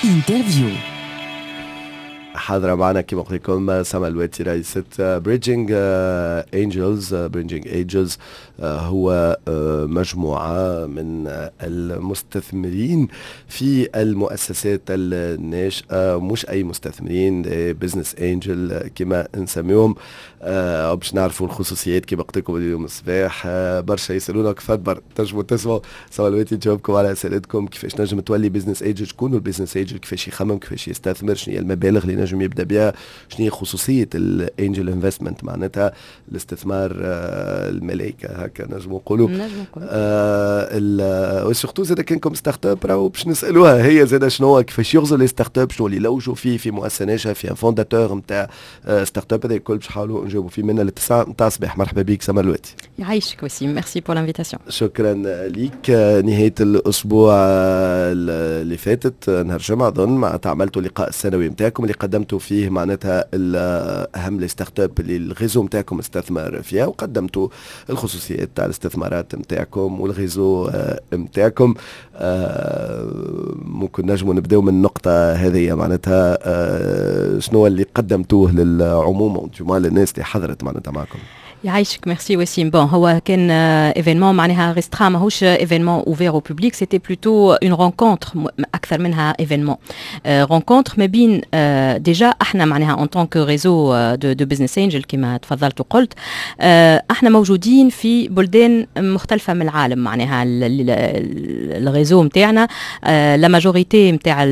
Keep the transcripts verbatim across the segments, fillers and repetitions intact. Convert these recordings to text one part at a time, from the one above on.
Interview. حاضرة معنا كما قلت لكم سما الواتي، رئيسة Bridging Angels. Bridging Angels هو آه، مجموعة من المستثمرين في المؤسسات الناشئة، مش أي مستثمرين، business angel كما نسميهم. آه، باش نعرفوا الخصوصيات كما قلت لكم اليوم الصباح، آه، برشا يسالونا كيف تنجموا تسمعوا سما الواتي تجاوبكم على اسئلتكم: كيفاش نجم تولي business angel؟ شكون ال business angel؟ كيفاش يخمم؟ كيفاش يستثمر؟ شنو هي المبالغ اللي نجم يبدا بها؟ شنو هي خصوصية ال angel investment، معناتها الاستثمار آه، الملائكة هكا نجموا نقولوا. نجم نقولوا. آه و surtout زاد كانكم startup راهو باش نسالوها هي زاد شنو، كيفاش يغزروا les startups، شنو اللي يلوجوا فيه في مؤسسة ناشئه، في un fondateur نتاع startup. هذا الكل باش نحاولوا نجاوبوا فيه منا للتسعه نتاع الصباح. مرحبا بك سمر الواتي. يعيشك وسيم، merci pour l'invitation. شكرا ليك. نهاية الاسبوع اللي فاتت، نهار الجمعة اظن، معناتها عملتوا اللقاء السنوي نتاعكم اللي قدمتوا فيه معناتها اهم les startups اللي ال réseau نتاعكم استثمر فيها، وقدمتوا الخصوصيات تاع الاستثمارات نتاعكم وال réseau نتاعكم. ممكن نجموا نبداو من النقطة هذه، معناتها شنو اللي قدمتوه للعموم للناس اللي حضرت معناتها معكم؟ يعيشك، ميرسي وسيم. bon، هو كان événement معناها restreint، ماهوش événement ouvert au public، c'était plutôt une rencontre اكثر منها événement، rencontre ما بين déjà احنا معناها en tant que réseau de de business angels. كما تفضلت وقلت، احنا موجودين في بلدان مختلفة من العالم. معناها ال réseau نتاعنا la majorité نتاع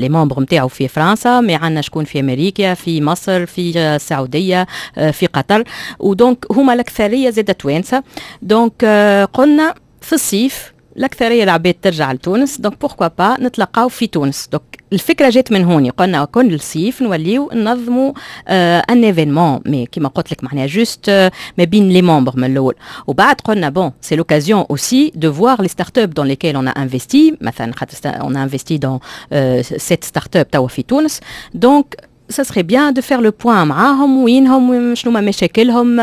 les membres نتاعو في فرنسا، mais عندنا شكون في امريكا، في مصر، في السعوديه، في قطر، و donc هما الاكثرية زاد توانسه. donc قلنا في الصيف الاكثرية العباد ترجع لتونس، donc pourquoi pas نتلقاو في تونس؟ donc الفكرة جات من هوني. قلنا كل الصيف نوليو ننظموا un événement، mais كيما قلت لك معناها juste ما بين les membres من الاول. وبعد قلنا bon، c'est l'occasion aussi de voir les startups dans lesquelles on a investi. مثلا خاطر on a investi dans sept startups توا في تونس، donc ça serait bien de faire le point معاهم، وينهم، شنو ما مشاكلهم،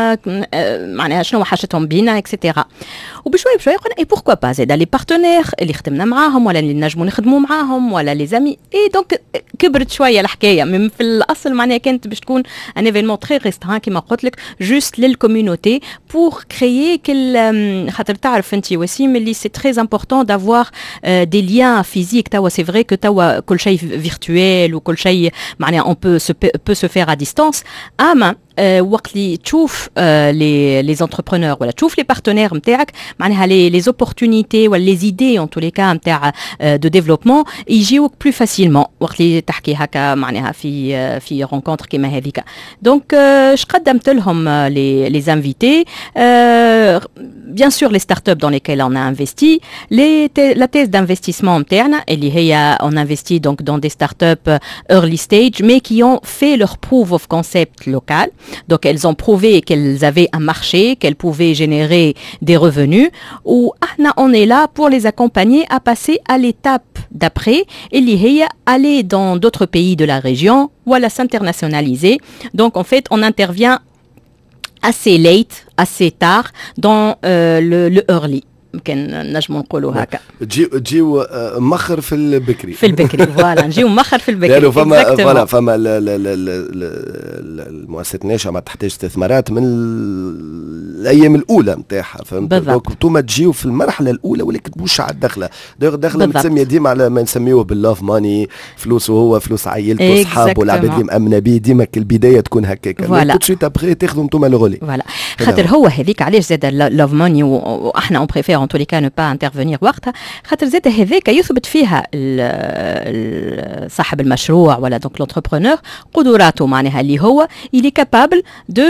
معناها شنو حاجتهم بينا et cetera. وبشوي بشوي قلنا et pourquoi pas زاد les partenaires اللي خدمنا معاهم ولا اللي نجموا نخدموا معاهم ولا les amis. et donc كبرت شوية الحكايه. من في الاصل معناها كانت باش تكون un événement très restreint كيما قلت لك، juste لل communauté pour créer كل، خاطر تعرف انت وسيم اللي c'est très important d'avoir des liens physiques. توا c'est vrai que توا كل شيء virtuel وكل شيء معناها on peut se, peut se faire à distance، اما وقت اللي تشوف les les entrepreneurs ولا تشوف les partenaires نتاعك، معناها les les opportunités ولا les idées en tous les cas نتاع de développement يجيوك plus facilement وقت اللي تحكي هكا معناها في في rencontre كيما هذيك. donc اش قدمت لهم les les invités؟ bien sûr les startups dans lesquelles on a investi، les la thèse d'investissement نتاعنا اللي هي on investit donc dans des startups early stage mais qui ont fait leur proof of concept local. Donc elles ont prouvé qu'elles avaient un marché, qu'elles pouvaient générer des revenus. و on est là pour les accompagner à passer à l'étape d'après اللي هي aller dans d'autres pays de la région ou à s'internationaliser. Donc en fait, on intervient assez late, assez tard dans euh, le, le early. يمكن نجموا نقولوا هكا. تجيو تجيو مخر في البكري. في البكري، voilà، نجيو مخر في البكري. لانه فما voilà فما المؤسسات الناشئة ما تحتاج استثمارات من الايام الاولى نتاعها، فهمت؟ donc انتوما تجيو في المرحلة الاولى ولكن مش على الدخله. الدخلة متسميه ديما على ما نسميوه بال love money، فلوسه هو، فلوس عائلته، اصحابه، العباد اللي مامنه به. ديما البداية تكون هكاك، voilà، tout de suite après تاخذوا انتوما le relais. voilà، خاطر هو هذيك علاش زاد love money، واحنا on préfère en tous les cas ne pas intervenir وقتها، خاطر زاد هذاك يثبت فيها صاحب المشروع ولا donc l'entrepreneur قدراته، معناها اللي هو il est capable de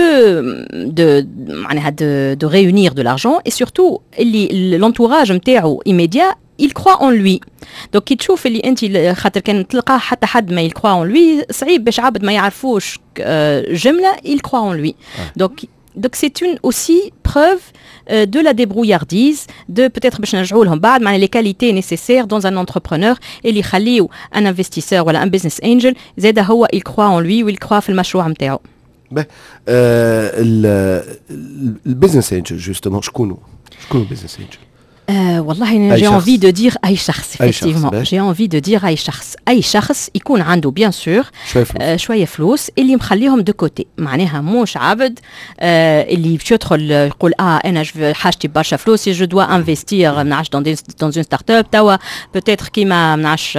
de معناها de de réunir de l'argent et surtout اللي l'entourage نتاعو immédiat il croit en lui. donc كي تشوف اللي انت، خاطر كان تلقاه حتى حد ما il croit en lui، صعيب باش عبد ما يعرفوش جملة il croit en lui. donc Donc c'est une aussi preuve euh, de la débrouillardise, de peut-être باش نرجعوا لهم بعد معناها les qualités nécessaires dans un entrepreneur اللي يخليو un investisseur ولا un business angel زاد هو il croit en lui و il croit في المشروع نتاعو. ال business angel justement شكون؟ شكون business angel؟ آه والله j'ai envie de dire اي شخص، effectivement j'ai envie de dire اي شخص، اي شخص يكون عنده bien sûr شوية فلوس، آه شوية فلوس اللي مخليهم de côté، معناها موش عبد آه اللي باش يدخل يقول اه انا حاجتي برشا فلوس، je dois investir ما نعرفش dans dans une startup توا peut-être كيما ما نعرفش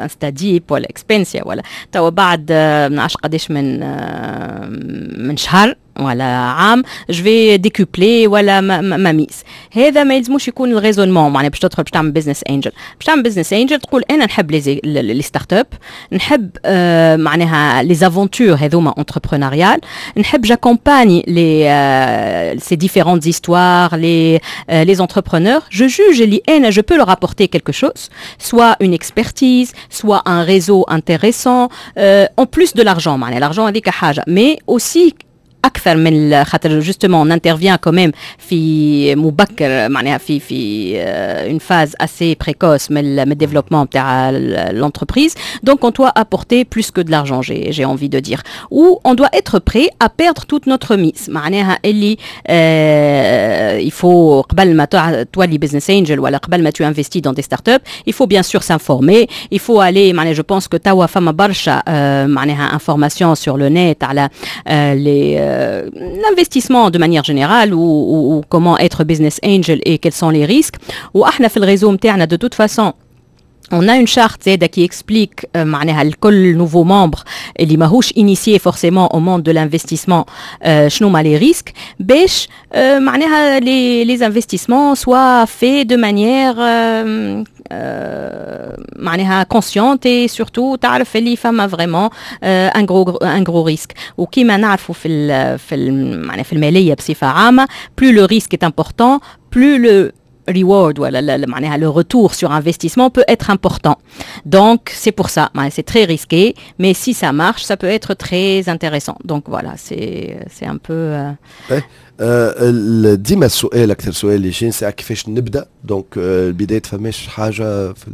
InstaDeep ولا Expensya ولا توا بعد ما نعرفش قداش من آه من شهر ولا عام je vais décupler ولا ma mise. هذا ما يلزموش يكون ال raisonnement، معناها باش تدخل باش تعمل business angel. باش تعمل business angel تقول انا نحب les les startups، نحب آه معناها les aventures هذوما entrepreneuriales، نحب j'accompagne les ces différentes histoires، les les entrepreneurs، je juge اللي انا je peux leur apporter quelque chose، soit une expertise، soit un réseau intéressant، en plus de l'argent. معناها l'argent هذيك حاجه، mais aussi اكثر من خاطر justement on intervient quand même في مبكر، معناها في في une phase assez précoce من ال développement تاع l'entreprise، donc on doit apporter plus que de l'argent، j'ai j'ai envie de dire، ou on doit être prêt à perdre toute notre mise. معناها اللي il faut قبل ما تولي business angel ولا قبل ما tu investis dans des startups، il faut bien sûr s'informer، il faut aller، معناها je pense que توا فما برشا معناها information sur le net على les l'investissement de manière générale ou, ou, ou comment être business angel et quels sont les risques. واحنا في ال réseau نتاعنا de toute façon on a une charte زادة qui explique معناها لكل nouveau membre اللي ماهوش initié forcément au monde de l'investissement شنو ما les risques، باش معناها les les investissements soient faits de manière معناها consciente et surtout تعرف اللي فما vraiment un gros un gros risque. وكيما نعرفوا في ال في ال معناها في المالية بصفة عامه، plus le risque est important، plus le reward ولا معناها le retour sur investissement peut être important. Donc c'est pour ça، c'est très risqué، mais si ça marche، ça peut être très intéressant. Donc voilà، c'est c'est un peu euh... ديما السؤال، اكثر سؤال اللي يجيني ساعة كيفاش نبدا؟ donc البداية فماش حاجة في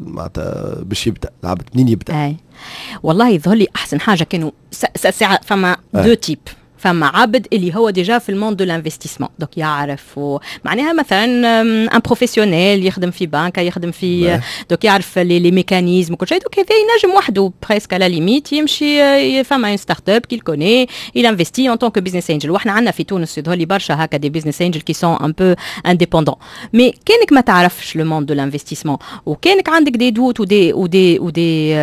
معناتها باش يبدا العبد، منين يبدا؟ اي والله يظهر لي احسن حاجة كانوا ساعة فما deux types. فما عبد اللي هو déjà في ال monde de l'investissement، donc يعرف، معناها مثلا un professionnel يخدم في بنك، يخدم في، donc يعرف les les mécanismes وكل شيء، donc هذا ينجم وحده presque à la limite يمشي فما une startup qu'il connaît، il investit en tant que business angel. واحنا عندنا في تونس يظهر لي برشا هكا des business angels qui sont un peu indépendants. mais كانك ما تعرفش le monde de l'investissement وكانك عندك des doutes ou des ou des ou des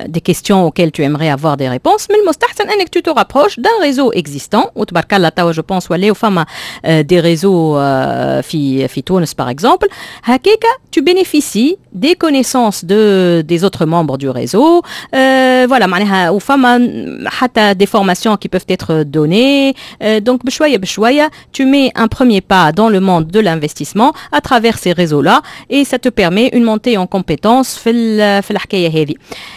des questions auxquelles tu aimerais avoir des réponses، من المستحسن انك tu te rapproches d'un réseau existant. وتبارك الله توا je pense ولاو فما des réseaux في في تونس par exemple. هكاكا tu bénéficies des connaissances de des autres membres du réseau، euh, voilà، معناها وفما حتى des formations qui peuvent être données، euh, donc بشوية بشوية tu mets un premier pas dans le monde de l'investissement à travers ces réseaux là et ça te permet une montée en compétences في في الحكاية هذه.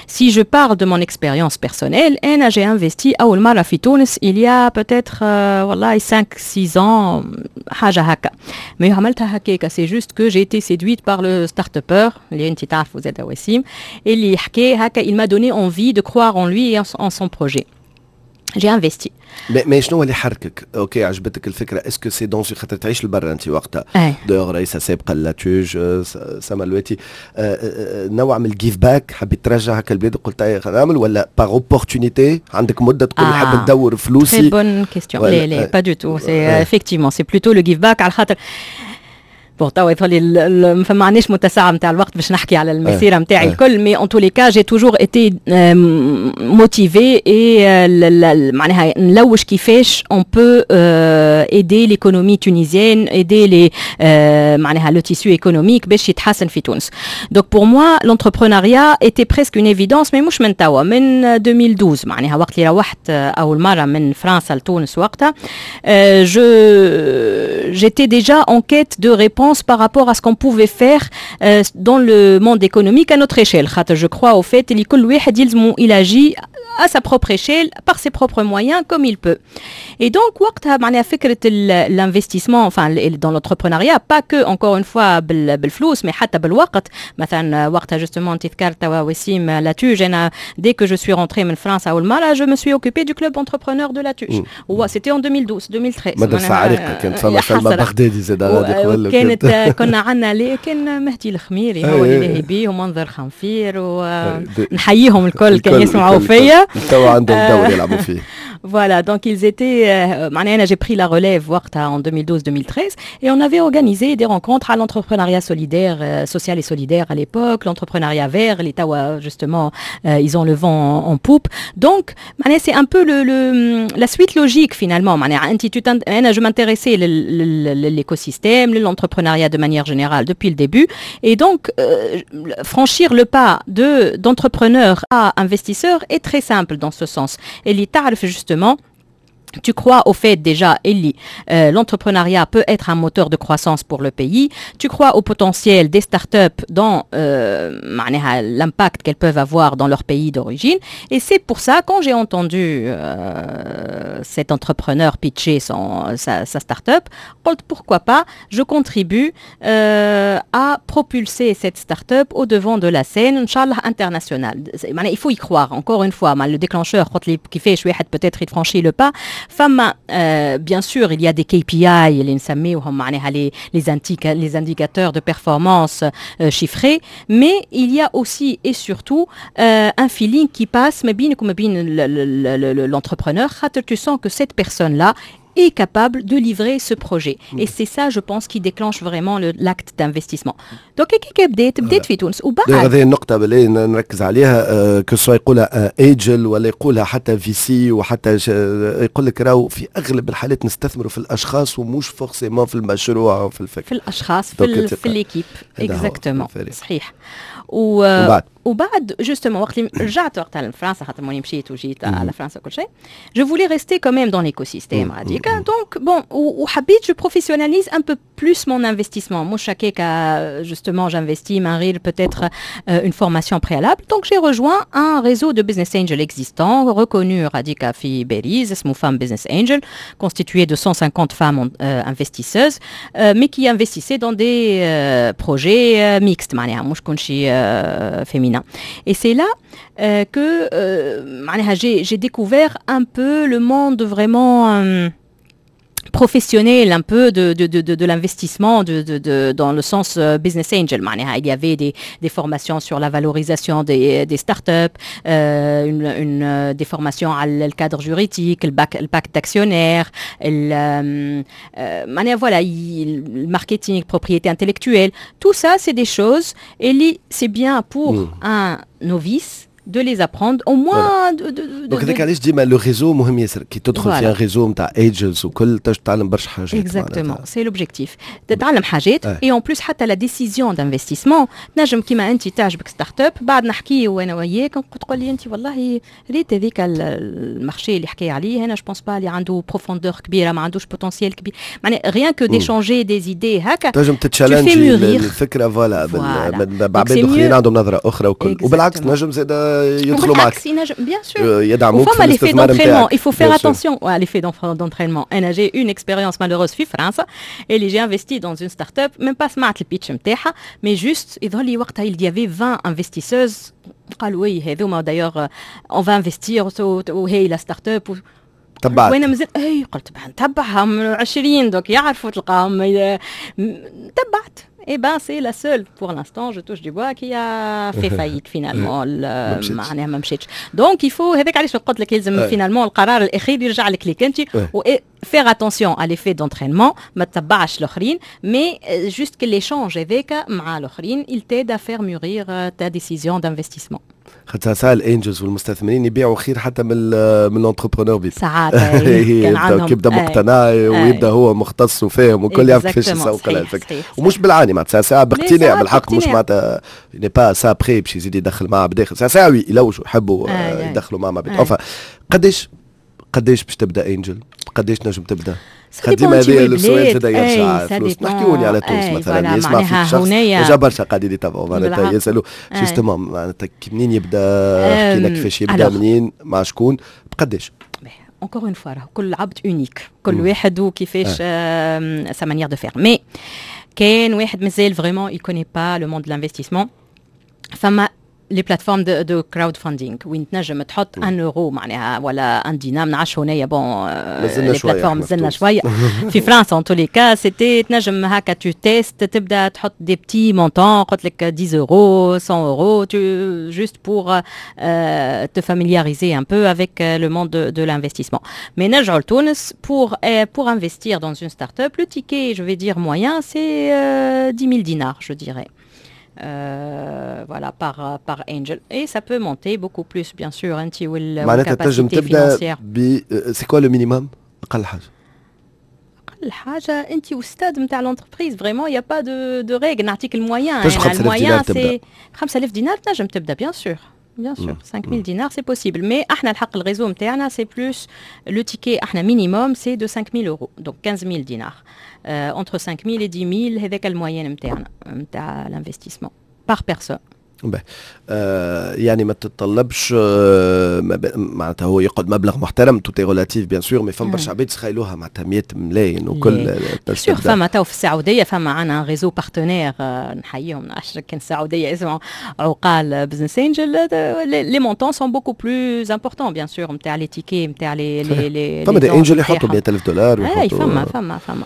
si je parle de mon expérience personnelle، انا j'ai investi اول مرة في تونس il y a peut-être euh, والله cinq six ans، حاجة هكا، mais عملتها هكاكا، c'est juste que j'ai été séduite par le start-upper اللي انت تعرفوا زاد وسيم، اللي حكى هكا، il m'a donné envie de croire en lui et en son projet، j'ai investi. mais شنو اللي حركك؟ OK، عجبتك الفكره، est-ce que c'est dans خاطر تعيش لبرا انت وقتها، d'ailleurs رئيسه سابقه l'ATUGE سما الواتي، نوع من ال give back، حبيت ترجع هكا البلاد قلت نعمل، ولا par opportunité عندك مده تقول نحب ندور فلوسي؟ très bonne question. لا لا، pas du tout، c'est effectivement c'est plutôt le give back، على خاطر bon توا يظهر لي ما عندناش متسع نتاع الوقت باش نحكي على المسيرة نتاعي الكل، mais en tous les cas j'ai toujours été motivée et معناها نلوج كيفاش on peut aider l'économie tunisienne، aider les معناها le tissu économique باش يتحسن في تونس. donc pour moi l'entrepreneuriat était presque une évidence، mais مش من توا، من ألفين واثنا عشر، معناها وقت اللي روحت اول مرة من فرنسا لتونس، وقتها je j'étais déjà en quête de réponses par rapport à ce qu'on pouvait faire euh, dans le monde économique à notre échelle. خاطر je crois au fait اللي كل واحد يلزمو il agit à sa propre échelle, par ses propres moyens, comme il peut. Et donc, وقتها معناها فكرة l'investissement, enfin dans l'entrepreneuriat, pas que encore une fois بالفلوس, mais حتى بالوقت. مثلا وقتها justement انت ذكرت وسيم l'ATUGE, انا dès que je suis rentrée من فرنسا اول مرة, je me suis occupée du club entrepreneur de l'ATUGE. C'était en deux mille douze, deux mille treize. مدرسة عريقة, كانت فما سلمى بغدادي زاد. غادي كانت كنا عندنا ليه كان مهدي الخميري هو اللي لاهي بيه ومنظر خنفير, ونحييهم الكل كان يسمعوا فيا. توا عندهم دور يلعبوا فيه. Voilà, donc ils étaient, euh, j'ai pris la relève en deux mille douze-deux mille treize et on avait organisé des rencontres à l'entrepreneuriat solidaire, euh, social et solidaire à l'époque, l'entrepreneuriat vert, اللي توا justement, euh, ils ont le vent en, en poupe. Donc, c'est un peu le, le, la suite logique finalement. Je m'intéressais à l'écosystème, l'entrepreneuriat de manière générale depuis le début et donc euh, franchir le pas de d'entrepreneur à investisseur est très simple dans ce sens. Et justement tu crois au fait déjà, اللي, euh, l'entrepreneuriat peut être un moteur de croissance pour le pays. Tu crois au potentiel des startups dans euh, معناها l'impact qu'elles peuvent avoir dans leur pays d'origine. Et c'est pour ça, quand j'ai entendu euh, cet entrepreneur pitcher son, sa, sa startup, قلت pourquoi pas, je contribue euh, à propulser cette startup au devant de la scène, إن شاء الله internationale. معناها il faut y croire, encore une fois, le déclencheur, كيفاش واحد peut-être il franchit le pas. فما euh, bien sûr il y a des K P I اللي نسميوهم معناها les les, les indicateurs de performance euh, chiffrés, mais il y a aussi et surtout euh, un feeling qui passe ما بينك وما بين l'entrepreneur, خاطر tu sens que cette personne là est capable de livrer ce projet. Mm. Et c'est ça, je pense, qui déclenche vraiment l'acte d'investissement. Donc كيف بديت بديت في تونس وبعد هذه النقطة بالله نركز عليها, que ce soit يقولها angel ولا يقولها حتى V C وحتى يقول لك راهو في اغلب الحالات نستثمروا في الاشخاص ومش forcément في المشروع وفي الفكرة. في الاشخاص, في, في l'équipe, exactement, صحيح. و وبعد وبعد justement وقت اللي رجعت وقتها لفرنسا, خاطر ماني مشيت وجيت على فرنسا كل شيء, je voulais rester quand même dans l'écosystème هذيك. Donc bon, وحبيت je professionnalise un peu plus mon investissement, مش هكاك justement j'investis من غير peut-être une formation préalable. Donc j'ai rejoint un réseau de business angel existant, reconnu غاديكا في باريس, اسمه Femmes Business Angel, constitué de cent cinquante femmes euh, investisseuses, euh, mais qui investissaient dans des euh, projets mixtes, معناها مش كل شيء féminin. Et c'est là euh, que euh, معناها j'ai découvert un peu le monde vraiment euh, professionnel un peu de, de, de, de, l'investissement de, de, de, dans le sens business angel. معناها il y avait des, des formations sur la valorisation des, des startups, euh, une, une, des formations على le cadre juridique, le, bac, le pacte d'actionnaires, le, euh, voilà, le marketing, propriété intellectuelle. Tout ça, c'est des choses, et c'est bien pour mmh. un novice de les apprendre au moins de, de, donc هذاك علاش ديما le réseau مهم ياسر, كي تدخل في un réseau نتاع angels وكل تتعلم برشا حاجات. Exactement, c'est l'objectif, تتعلم حاجات et en plus حتى la décision d'investissement تنجم كيما انت تعجبك startup, بعد نحكي وانا وياك تقول لي انت والله ريت هذيك ال marché اللي حكي عليه, انا je pense pas اللي عنده profondeur كبيره, ما عندوش potentiel كبير. معناها rien que d'échanger des idées هكا. تنجم تتشالنجي الفكره, voilà, بعباد اخرين عندهم نظره اخرى وكل, وبالعكس نجم زاد يدخلوا معك. Bien sûr. يدعموك في l'effet d'entraînement. Il faut faire attention à l'effet d'entraînement. انا j'ai une expérience malheureuse في فرنسا اللي j'ai investi dans une start-up, même pas سمعت ال pitch نتاعها, mais juste يظهر لي وقتها il y avait vingt investisseuses, قالوا oui هذوما d'ailleurs on va investir وهي la start-up. تبعت. وانا مازال اي قلت نتبعهم عشرين, donc يعرفوا تلقاهم, تبعت. Eh ben, c'est la seule, pour l'instant, je touche du bois, qui a fait faillite finalement. معناها ما مشيتش. Donc il faut, هذاك علاش قلت لك يلزم finalement القرار الاخير يرجع لك ليك انت و faire attention à l'effet d'entraînement, ما تتبعش الاخرين, mais juste que l'échange هذاك مع الاخرين il t'aide à faire mûrir ta décision d'investissement. خاطر ساعات ال angels والمستثمرين يبيعوا خير حتى من من l'entrepreneur بيد. ساعات. كان عندهم يبدا مقتنع ويبدا هو مختص وفاهم وكل يعرف كيفاش يسوق الفكره, ومش بالعاني معناتها, ساعة باقتناع بالحق, مش معناتها n'est pas ça près باش يزيد يدخل معاه بداخل, ساعة ساعة يلوجوا يحبوا يدخلوا معاه بعباد. قداش قداش باش تبدا angel؟ قداش نجم تبدا؟ ديما هذا السؤال زاد يرجع فلوس. نحكيوني على تونس مثلا، يسمع فيك شخص، déjà برشا قاعدين يتابعوا، معناتها يسالوا justement معناتها منين يبدا. حكينا كيفاش يبدا، منين، مع شكون، بقداش؟ encore une fois، كل عبد unique، كل واحد وكيفاش sa manière de faire. mais كان واحد مازال vraiment il connaît pas le monde de l'investissement، فما les plateformes de, de crowdfunding وين تنجم تحط un euro معناها ولا un دينار. ما نعرفش هنايا، bon، les plateformes مازلنا شويه. في فرنسا en tous les cas c'était تنجم هكا tu testes، تبدا تحط des petits montants، قلت لك dix euros، cent euros، tu juste pour euh, te familiariser un peu avec le monde de, de l'investissement. Mais نرجعوا لتونس، pour pour investir dans une start-up، le ticket، je vais dire moyen، c'est euh, dix mille dinars، je dirais. Euh, voilà, par, par angel. Et ça peut monter beaucoup plus، bien sûr، انت وال capacité financière. c'est quoi le minimum؟ اقل حاجه؟ اقل حاجه انت وستاد نتاع l'entreprise، vraiment y a pas de de règle. نعطيك ال moyen، ال moyen c'est خمسة آلاف دينار تنجم تبدا، bien sûr، bien sûr، cinq mille dinars c'est possible. mais احنا الحق ال réseau نتاعنا c'est plus le ticket، احنا minimum c'est de cinq mille euros، donc quinze mille dinars، entre cinq mille et dix mille، هذاك ال moyen نتاعنا نتاع l'investissement par personne. آه يعني ما تتطلبش آه معناتها هو يقعد مبلغ محترم، tout est relatif bien sûr، mais فما برشا عباد تخيلوها معناتها مية ملايين وكل. sûr، فما تو في السعوديه، فما عندنا réseau partenaire نحييهم، كان السعودية اسمه عقال Business Angels، les montants sont beaucoup plus importants bien sûr نتاع les tickets نتاع les les les فما des angels يحطوا مية ألف دولار. اي، فما فما فما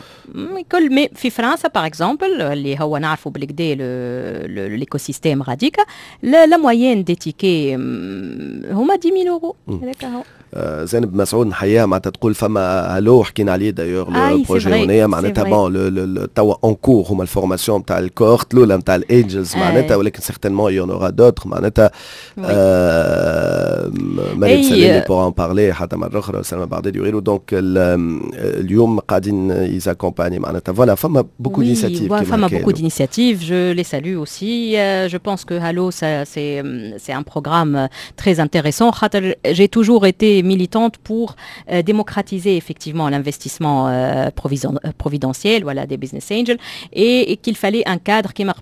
كل، mais في فرنسا par exemple، اللي هو نعرفوا بالكدا l'écosystème غاديكا، la moyenne des tickets هما dix mille euros، هذاك هو. آه، زينب مسعود نحييها، معناتها تقول فما هالو، حكينا عليه d'ailleurs le projet هنايا، معناتها bon توا en cours هما ال formation نتاع ال cohorte الاولى نتاع ال angels معناتها، ولكن certainement y en aura d'autres. معناتها مريم سلامي pour en parler حتى مرة اخرى، سلمى بغدادي وغيره. donc اليوم قاعدين ils accompagnent معناتها، voilà، فما beaucoup d'initiatives. فما beaucoup d'initiatives، je les salue aussi. je pense que Halo c'est c'est un programme très intéressant، خاطر j'ai toujours été militante pour euh, démocratiser effectivement l'investissement euh, providentiel، voilà، des business angels، et, et qu'il fallait un cadre qui m'a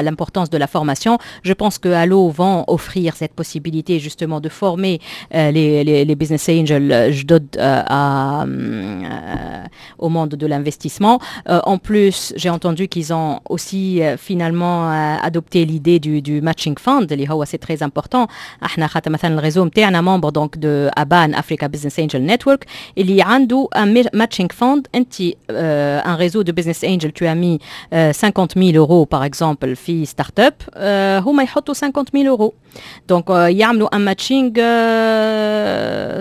l'importance de la formation. Je pense que Halo vont offrir cette possibilité justement de former euh, les, les, les, business angels جدد à, au monde de l'investissement. En plus، j'ai entendu qu'ils ont aussi finalement adopté l'idée du, du matching fund، اللي هو c'est très important. احنا خاطر مثلا ال réseau نتاعنا membre donc de ABAN، Africa Business Angel Network، اللي عنده un matching fund. انت un réseau de business angel، tu as mis cinquante mille euros par exemple في startup، هما يحطوا cinquante mille euros، donc يعملوا un matching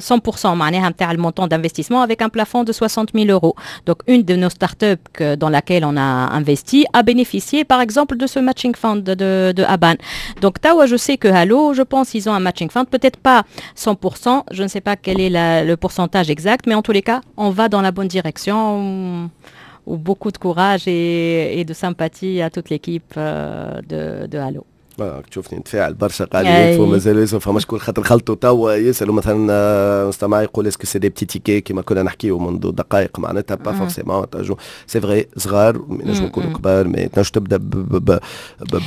cent pour cent معناها نتاع ال montant d'investissement avec un plafond de soixante mille euros. Donc une de nos startups que, dans laquelle on a investi a bénéficié par exemple de ce matching fund de, de ABAN. Donc توا je sais que Halo، je pense ils ont un matching fund، peut-être pas cent pour cent، je ne sais pas quel est la, le pourcentage exact، mais en tous les cas، on va dans la bonne direction. Ou beaucoup de courage et, et de sympathie à toute l'équipe de, de Halo. تشوفني نتفاعل برشا، قاعد يكفوا مازال يسأل، فما شكون خاطر خلطوا توا يسالوا، مثلا مستمع يقول est-ce que c'est des petits tickets؟ كيما كنا نحكيو منذ دقائق، معناتها pas forcément، c'est vrai صغار، ينجموا يكونوا كبار، mais تنجم تبدا ب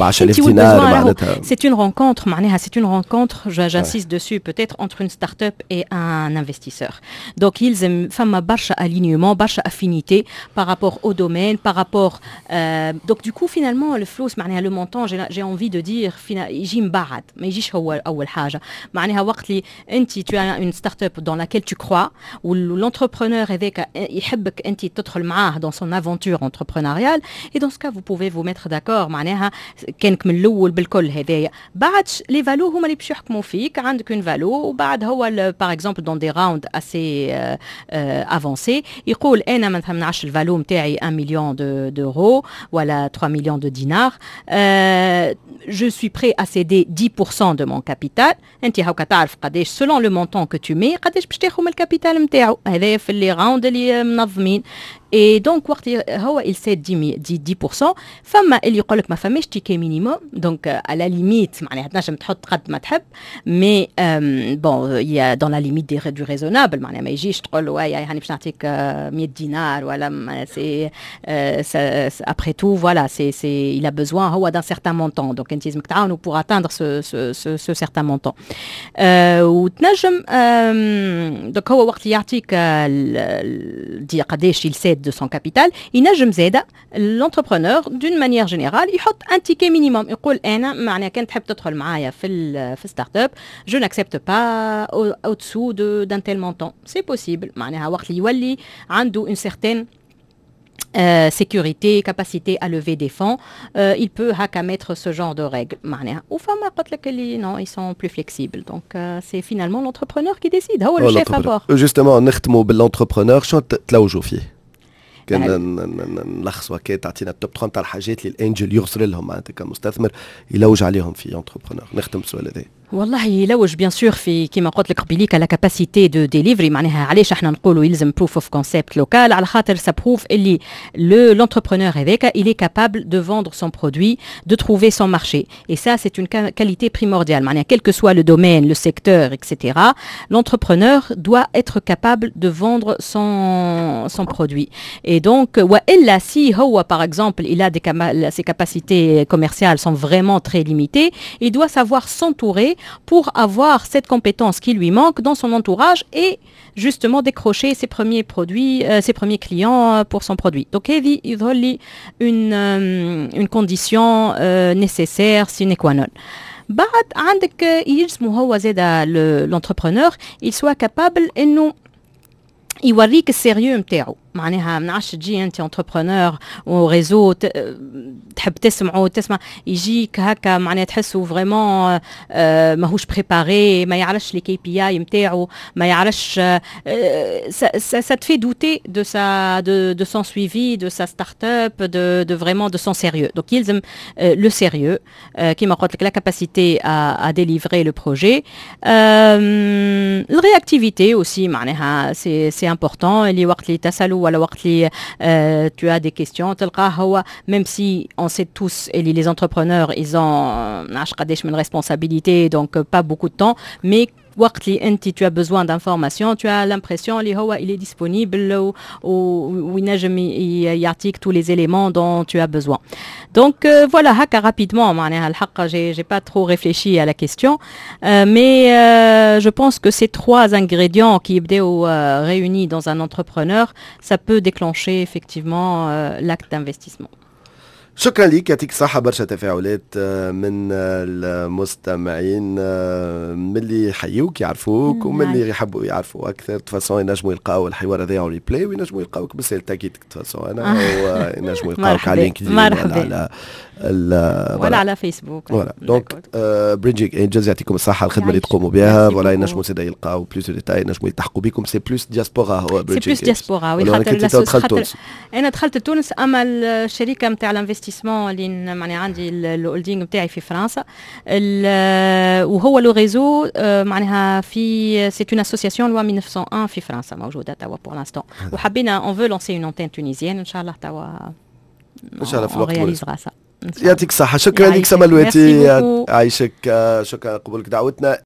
عشرة آلاف دينار معناتها. c'est une rencontre معناها، c'est une rencontre، j'insiste dessus peut-être، entre une start-up et un investisseur. donc يلزم فما برشا alignement، برشا affinité par rapport au domaine، par rapport euh, donc du coup finalement الفلوس معناها le montant، j'ai envie de dire يجي من بعد، ما يجيش هو اول حاجه. معناها وقت اللي انت tu as une start-up dans laquelle tu crois و l'entrepreneur هذاك يحبك انت تدخل معاه dans son aventure entrepreneuriale، et dans ce cas vous pouvez vous mettre d'accord. معناها كانك من الاول بالكل هذايا، بعد les valos هما اللي باش يحكموا فيك. عندك une valo، وبعد هو par exemple dans des rounds assez avancés يقول انا مثلا نعرفش ال valo نتاعي un million d'euros ولا trois millions de dinars، je suis prêt à céder dix pour cent de mon capital. انت هاكا تعرف قداش selon le montant que tu mets قداش باش تاخذ من ال capital نتاعو. هذا في les rounds اللي منظمين. Et donc وقت هو il cède dix pour cent، فما اللي يقول لك ما فماش ticket minimum، donc à la limite معناها تنجم تحط قد ما تحب، mais bon، il y a dans la limite du raisonnable، معناها ما يجيش تقول له هاني باش نعطيك مية دينار ولا c'est après tout، voilà، c'est c'est il a besoin هو d'un certain montant، donc انت لازمك تعاونوا pour atteindre ce ce ce, ce certain montant. وتنجم donc هو وقت يعطيك دي قداش il cède de son capital، ينجم زاده l'entrepreneur d'une manière générale يحط un ticket minimum، يقول انا معناها كان تحب تدخل معايا في في startup، je n'accepte pas au-dessous de d'un tel montant. c'est possible، معناها وقت اللي يولي عنده une certaine Euh, sécurité, capacité à lever des fonds, euh, il peut هكا mettre ce genre de règles. معناها وفما قلت لك اللي non، ils sont plus flexibles. Donc euh, c'est finalement l'entrepreneur qui décide، هو le chef à bord. Justement، نختموا بال entrepreneur، شنو تلوجوا فيه؟ كان نلخصوا هكا، تعطينا ال top ثلاثة تاع الحاجات اللي ال angel يغزر لهم، معناتها كمستثمر يلوج عليهم في entrepreneur. نختم بالسؤال هذا. والله يلوج bien sûr في كيما قلت لك قبيليك la capacité de delivery. معناها علاش احنا نقولوا يلزم proof of concept local؟ على خاطر ça prouve اللي le l'entrepreneur هذاك il est capable de vendre son produit، de trouver son marché، et ça c'est une qualité primordiale. معناها quel que soit le domaine، le secteur، et cetera، l'entrepreneur doit être capable de vendre son son produit. et donc والا si هو par exemple il a des ses capacités commerciales sont vraiment très limitées، il doit savoir s'entourer pour avoir cette compétence qui lui manque dans son entourage et justement décrocher ses premiers produits, euh, ses premiers clients pour son produit. Donc هذه يظهر لي une, euh, une condition euh, nécessaire sine qua non. بعد عندك يلزمو هو زاد l'entrepreneur il soit capable انه يوريك ال sérieux نتاعو. معناها ما نعرفش، تجي انت entrepreneur و réseau تحب تسمعه، تسمع، يجيك هكا معناها تحسه vraiment ماهوش préparé، ما يعرفش les KPI نتاعو، ما يعرفش، ça te fait douter de sa de, de son suivi de sa start-up، de, de vraiment de son sérieux. donc يلزم le sérieux، كيما قلت لك la capacité à, à délivrer le projet، euh, la réactivité aussi، معناها c'est c'est important اللي وقت اللي تسالوا ولا وقت اللي tu as des questions تلقاه هو، même si on sait tous اللي les entrepreneurs ils ont نعرفش قداش من responsabilité، donc pas beaucoup de temps، mais وقت اللي انت tu as besoin d'informations، tu as l'impression اللي هو il est disponible وينجم يعطيك tous les éléments dont tu as besoin. donc euh, voilà، هكا rapidement، معناها الحق j'ai j'ai pas trop réfléchi à la question، euh, mais euh, je pense que ces trois ingrédients qui يبداو euh, réunis dans un entrepreneur، ça peut déclencher effectivement euh, l'acte d'investissement. شكرا لك، يعطيك الصحة. برشا تفاعلات آه، من المستمعين، آه، من اللي يحيوك، يعرفوك، ومن اللي يحبوا يعرفوا أكثر. de toute façon ينجموا يلقاو الحوار هذا en replay، وينجموا يلقاوك بالسيل تاكيد de toute façon أنا، وينجموا يلقاوك على LinkedIn ولا على ولا على فيسبوك. voilà، donc Bridging Angels، يعطيكم الصحة الخدمة اللي تقوموا بها. voilà، ينجموا زاد يلقاو plus de détails، ينجموا يلتحقوا بكم. c'est plus diaspora هو؟ c'est plus diaspora، oui، خاطر انا دخلت تونس، اما الشركة نتاع l'investissement اللي معناها عندي ال holding نتاعي في فرنسا، وهو le réseau معناها في c'est une association loi mille neuf cent un في فرنسا موجودة توا pour l'instant، وحبينا on veut lancer une antenne tunisienne ان شاء الله توا. ان شاء الله في الوقت. يعطيك الصحة، شكرا لك سما الواتي، عايشك، شكرا قبولك دعوتنا.